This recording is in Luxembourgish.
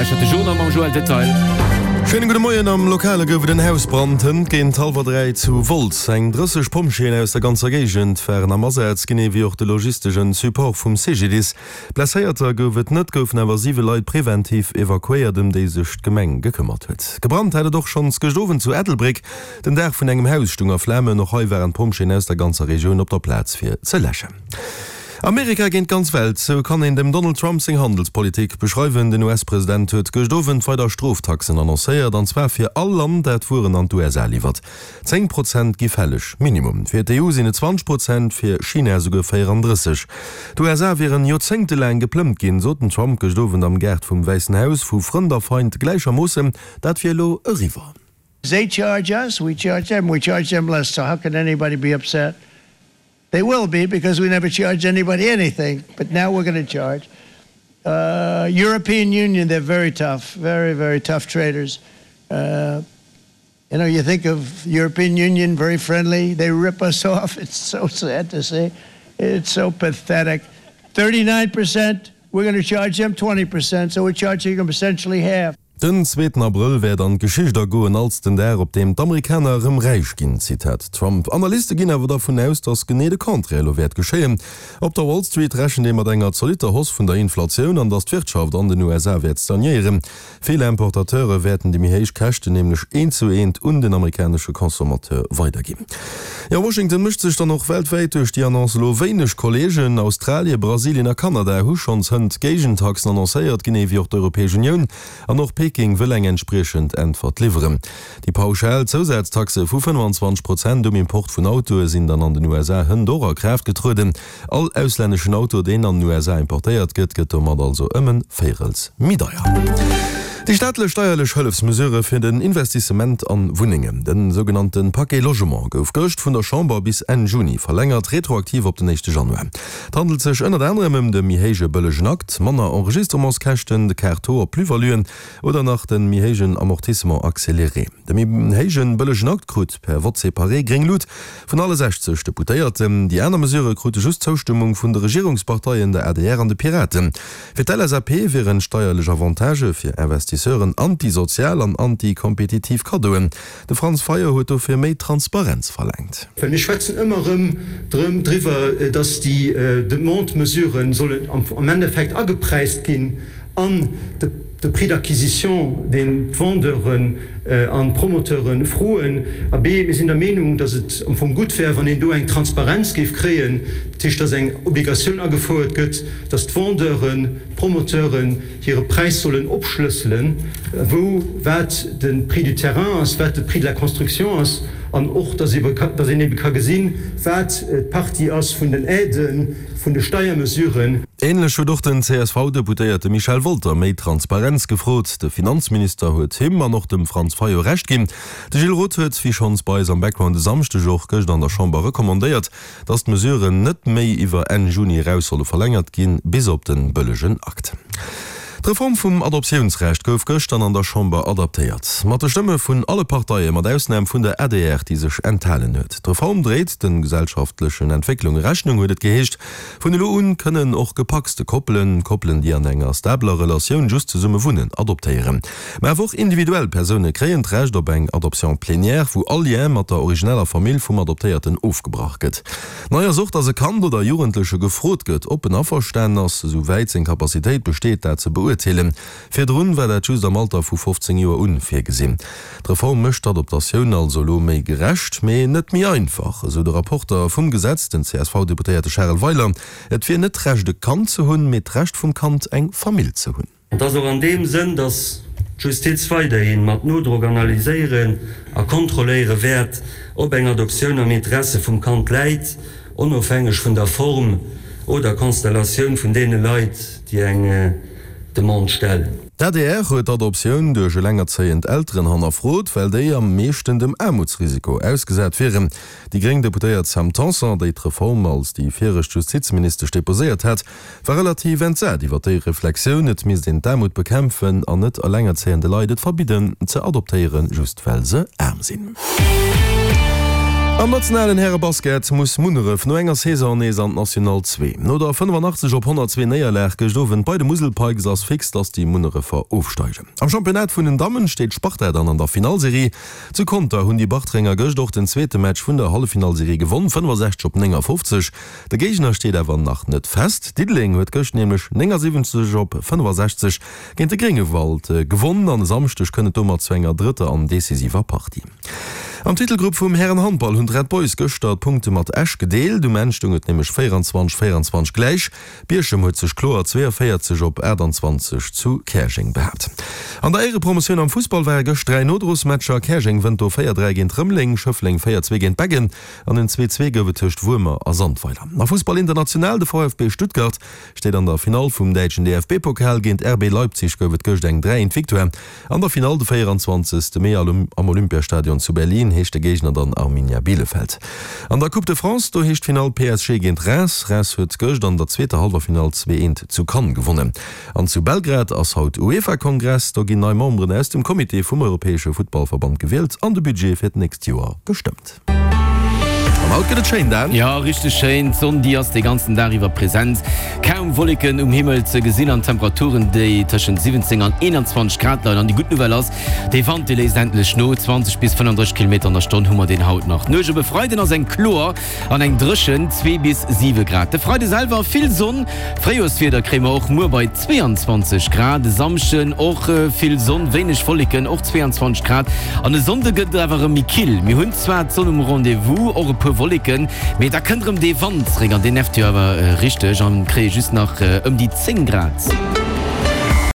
lauschtert de Journal mam Joël Detail. Schéine gudde Moien. Am Lokale gouf et en Hausbrand hënt géint hallwer 3 zu Wolz. Eng 30 Pompjeeën aus der ganzer Géigend waren am Asaz, genee wéi och de logistegen Support vum CGDIS. Blesséierter gouf et net, goufen awer 7 Leit preventiv evakuéiert, ëm déi sech d'Gemeng gekëmmert huet. Gebrannt hat et och schonns gëscht Owend zu Ettelbréck. Den Daach vun engem Haus stung a Flamen. Och hei waren d'Pompjeeën aus der ganzer Regioun op der Plaz fir ze läschen. Amerika géint d'ganz Welt, sou kann een dem Donald Trump seng Handelspolitik beschreiwen. Den US-President huet gëscht Owend weider Stroftaxen annoncéiert, an zwar fir all Land, dat Wueren an d'USA liwwert. 10 Prozent gi fälleg, Minimum. Fir d'EU sinn et 20 Prozent, fir China esouguer 34. D'USA wieren joerzéngtelaang geplëmmt ginn, sot den Trump gëscht Owend am Gaart vum Wäissen Haus, vu Frënd a Feind gläichermoossen. Dat wier elo eriwwer. They charge us, we charge them, we charge them less, so how can anybody be upset? They will be because we never charged anybody anything, but now we're going to charge. Uh, European Union, they're very tough, very, very tough traders. Uh, you know, you think of European Union, very friendly. They rip us off. It's so sad to see. It's so pathetic. 39%, we're going to charge them 20%, so we're charging them essentially half. Den zweeten Abrëll wäert an d'Geschicht agoen als den Dag, op deem d'Amerikaner erëm räich ginn, Zitat Trump. Analyste ginn awer dervun aus, datt genee de Contraire elo wäert geschéien. Op der Wall Street rechent ee mat enger zolitter Hausse vun der Inflatioun an datt d'Wirtschaft an den USA wäert stagnéieren. Vill Importateure wäerten déi méi héich Käschten nämlech eent zu eent un den amerikanesche Consommateur weiderginn. Jo, Washington mécht sech dann och weltwäit duerch déi Annonce elo wéineg Kolleegen. Australien, Brasilien a Kanada hu schonns hënt Géigentaxen annoncéiert, genee wéi och d'Europäesch Unioun. An och Peking wëll eng entspriechend Äntwert liwweren. Déi pauschal Zousaztaxe vu 25 Prozent um Import vun Autoe sinn dann an den USA hënt och a Kraaft getrueden. All auslänneschen Auto, deen an den USA importéiert gëtt, gëtt domat also ëm en Véirels méi deier. Déi staatlech steierlech Hëllefsmesure fir den Investissement an Wunnengen, den sougenannte Paquet Logement, gouf gëscht vun der Chamber bis Enn Juni verlängert, retroaktiv op den éischte Januar. Et handelt sech ënnert anerem ëm de méi héije bëllegen Akt, manner Enregistrementskäschten, de Quart Taux op Plus-valuen oder nach de méi héijen Amortissement accéléré. De méi héijen bëllegen Akt krut per Vote séparé gréng Lut vun alle 60 Deputéierten. Déi aner Mesurë krute just d'Zoustëmmung vun de Regierungsparteien, der adr an de Piraten. Fir d'LSAP wieren steierlech Avantagë fir Investisseuren antisozial an antikompetitiv Kaddoen. De Franz Fayot huet dofir méi Transparenz verlaangt. Well mir schwätzen ëmmer erëm drëm driwwer, dass déi Demande-Mesuren sollen am Endeffekt agepräist ginn an de Prix d'acquisition, deen d'Vendeuren an d'Promoteure froen. Abee, mir sinn der Meenung, dass et am Fong gutt wär, wann een do eng Transparenz géif kréien, dat heescht, dass eng Obligatioun agefouert gëtt, dass d'Vendeuren, d'Promoteuren, hire Präis sollen opschlësselen, wou wat de Prix du terrain ass, wat de Prix de la construction ass, an och, dass een ebe ka gesinn, wat d'Partie ass vun den Aiden, vun de Steiermesuren. Ähnlech huet och den CSV-Deputéierte Michel Wolter méi Transparenz gefrot. De Finanzminister huet him an och dem Franz Fayot Recht ginn. De Gilles Roth huet, wéi schonns bei eis am Background e Samschdeg, och gëscht an der Chamber recommandéiert, dass d'Mesuren net méi iwwer Enn Juni eraus solle verlängert ginn, bis op de bëllegen Akt. D'Reform vum Adoptiounsrecht gouf gëscht dann an der Chamber adaptéiert. Mat de Stëmme vun alle Parteie mat Ausnam vun der adr, déi sech enthalen huet. D'Reform dréit de gesellschaftlechen Entwécklunge Rechnung, huet et geheescht. Vun elo un kënnen och gepacste Koppelen, Koppelen déi an enger stabeler Relatioun just zesumme wunnen, adoptéieren. Mä awer och individuell Persoune kréien d'Recht op eng Adoption plénière, wou all Lien mat der origineller Famill vum Adoptéierten ofgebrach gëtt. Nei ass och, dass e Kand oder e Jugendleche gefrot gëtt, ob en averstanen ass, esou wäit seng Capacitéit besteet, dat ze beurteelen. Virdrun war dat just am Alter vu 15 Joer un virgesinn. D'Reform mécht d'Adoptatioun also elo méi gerecht, mee net méi einfach, esou de Rapporter vum Gesetz, den CSV-Deputéierte Charel Weiler. Et wier net d'Recht e Kand ze hunn, mee d'Recht vum Kand eng Famill ze hunn. Et ass och an deem Sënn, datt d'Justiz weiderhi mat Nodrock analyséieren a kontrolléiere wäert, ob eng Adoptioun am Interesse vum Kand läit, onofhängeg vun der Form oder Konstellatioun vun deene Leit, déi eng Demande stellen. D'adr huet d'Adoptioun duerch elengerzéiend Elteren hannerfrot, well déi am meeschten dem Aarmutsrisiko ausgesat wieren. Déi gréng Deputéiert Sam Tanson, déi d'Reform als déi viregt Justizministesch deposéiert hat, war relativ entsat iwwer déi Reflexioun, et misst een d'Aarmut bekämpfen an net elengerzéiende Leit et verbidden ze adoptéieren, just well se aarm sinn. Am nationalen Härebasket muss Munneref no enger Saison nees an d'National 2. No der 85 op 102 Néierlag gëscht Owend bei de Musel Pikes ass fix, dass déi Munnerefer ofsteigen. Am Championnat vun den Dammen steet d'Sparta dann an der Finallserie. Zu Conter hunn déi Bartrenger gëscht och den zweete Match vun der Halleffinallserie gewonn, 65 op 59. De Géigner steet awer nach net fest. Diddeleng huet gëscht nämlech 79 op 65 géint de Gréngewald gewonn an e Samschdeg kënnt et domat zu enger drëtter an decisiver Partie. Am Titelgrupp vum Härenhandball hunn d'Red Boys gëschter d'Punkte mat Esch gedeelt. Um Enn stoung et nämlech 24, 24 gläich. Bierchem huet sech kloer 42 op 28 zu Käerjeng behaapt. An der Éierepromotioun am Fussball ware gëscht 3 Nodrosmatcher. Käerjeng wënnt do 4, 3 géint Rëmeleng, Schëffleng 4, 2 géint Beggen an en 2, 2 gouf et tëscht Wuermer a Sandweiler. A Fussball international, De VfB Stuttgart steet an der Finall vum däitschen DFB-Pokal. Géint RB Leipzig gouf et gëscht eng 3, 1 Victoire. An der Finall de 24 Mee am Olympiastadion zu Berlin heescht de Géigner dann Arminia Bielefeld. An der Coupe de France, do heescht d'Finall PSG géint Reims. Reims huet gëscht an der zweeter Hallwerfinall 2, 1 zu Cannes gewonnen. An zu Belgrad ass haut UEFA-Kongress. Do ginn nei Memberen aus dem Comité vum europäesche Futtballverband gewielt an de Budget fir d'nächst Joer gestëmmt. An haut gëtt et schéin, Dan. Jo, richteg schéin. D'Sonn, déi ass de ganzen Dag iwwer present. Kaum Wolleken um Himmel ze gesinn an Temperaturen, déi tëschent 17 an 21 Grad leien. An déi gutt Nouvelle ass, de Wand, dee léisst endlech no. 20 bis 35 Kilometer an der Stonn hu mer deen haut nach. D'Nuecht op e Freiden ass eng kloer an eng dréchen, zwee bis 7 Grad. De Freide selwer vill Sonn, Fréijoerswieder kréie mer och muer bei 22 Grad. E Samschden och vill Sonn, wéineg Wolleken, och 22 Grad. An e Sonnde gëtt et awer erëm méi kill. Mir hunn zwar d'Sonn um Rendez-vous, och e puer Wolleken, mee da kënnt erëm dee Wand zréck an deen nervt jo awer richteg an kréie just nach ëm déi 10 Grad.